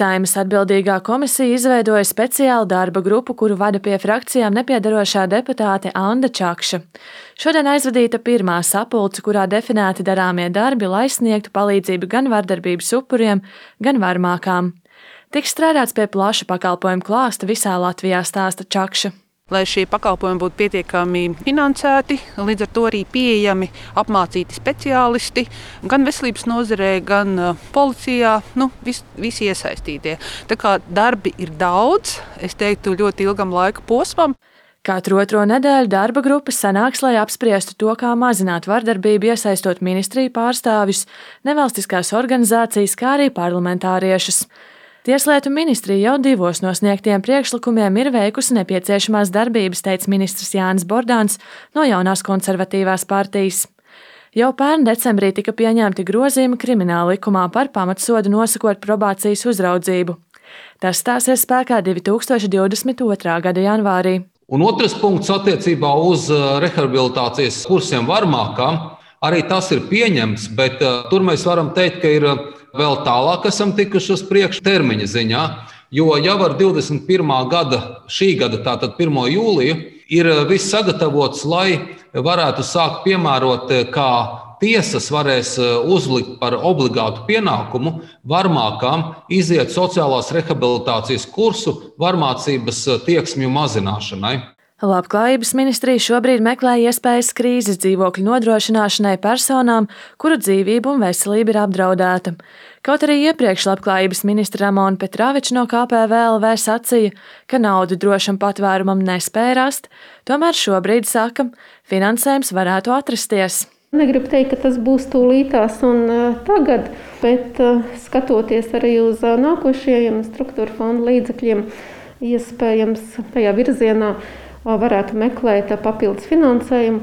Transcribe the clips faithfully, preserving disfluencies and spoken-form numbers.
Saeimas atbildīgā komisija izveidoja speciālu darba grupu, kuru vada pie frakcijām nepiedarošā deputāte Anda Čakša. Šodien aizvadīta pirmā sapulce, kurā definēti darāmie darbi, lai sniegtu palīdzību gan vardarbības upuriem, gan varmākām. Tiks strādāts pie plaša pakalpojumu klāsta visā Latvijā, stāsta Čakša. Lai šie pakalpojumi būtu pietiekami finansēti, līdz ar to arī pieejami apmācīti speciālisti, gan veselības nozarē, gan policijā, nu, vis, visi iesaistītie. Tā kā darbi ir daudz, es teiktu, ļoti ilgam laika posmam. Katru otro nedēļu darba grupas sanāks, lai apspriestu to, kā mazināt vardarbību, iesaistot ministriju pārstāvjus, nevalstiskās organizācijas, kā arī parlamentāriešus. Tieslietu ministrija jau divos no sniegtiem priekšlikumiem ir veikusi nepieciešamās darbības, teica ministrs Jānis Bordāns no Jaunās konservatīvās partijas. Jau pērn decembrī tika pieņemti grozījumi krimināla likumā par pamatsodu nosakot probācijas uzraudzību. Tas stāsies spēkā divi tūkstoši divdesmit otrā gada janvārī. Un otrs punkts attiecībā uz rehabilitācijas kursiem varmākām, arī tas ir pieņemts, bet tur mēs varam teikt, ka ir vēl tālāk esam tikuši uz priekšu termiņa ziņā, jo jau ar divdesmit pirmā gada, šī gada, tātad pirmo jūliju, ir viss sagatavots, lai varētu sākt piemērot, kā tiesas varēs uzlikt par obligātu pienākumu varmākām iziet sociālās rehabilitācijas kursu varmācības tieksmju mazināšanai. Labklājības ministrija šobrīd meklē iespējas krīzes dzīvokļu nodrošināšanai personām, kuru dzīvība un veselība ir apdraudēta. Kaut arī iepriekš Labklājības ministra Ramona Petraviča no K P V L V sacīja, ka naudu drošam patvērumam nespēja rast, tomēr šobrīd saka, finansējums varētu atrasties. Negribu teikt, ka tas būs tūlītās un tagad, bet skatoties arī uz nākošajiem struktūra fonda līdzekļiem, iespējams tajā virzienā varētu meklēt papildus finansējumu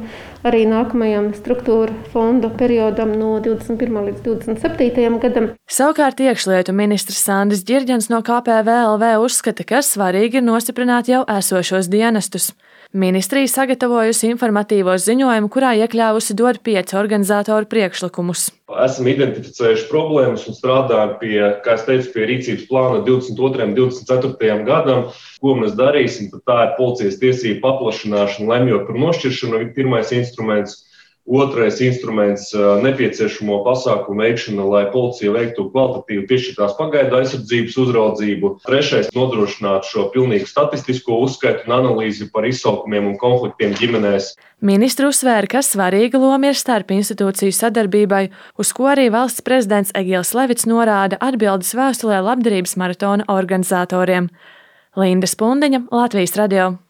arī nākamajam struktūra fonda periodam no divdesmit pirmā līdz divdesmit septītajam gadam. Savukārt iekšlietu ministrs Sandis Ģirģens no K P V L V uzskata, ka svarīgi ir nostiprināt jau esošos dienestus. Ministrija sagatavojusi informatīvo ziņojumu, kurā iekļāvusi dod pieci organizatoru priekšlikumus. Esam identificējuši problēmas un strādājam pie, kā es teicu, pie rīcības plāna divdesmit otrajam un divdesmit ceturtajam gadam. Ko mēs darīsim, tad tā ir policijas tiesību paplašināšana, lemjot par nošķiršanu, pirmais instruments. Otrais instruments - nepieciešamo pasākumu veikšana, lai policija veiktu kvalitatīvu piešķirtās pagaidu aizsardzības uzraudzību. Trešais - nodrošināt šo pilnīgu statistisko uzskaitu un analīzi par izsaukumiem un konfliktiem ģimenēs. Ministru uzsvēra, ka svarīga loma ir starp institūciju sadarbībai, uz ko arī valsts prezidents Egils Levits norāda atbildes vēstulē labdarības maratona organizatoriem. Linda Spundiņa, Latvijas radio.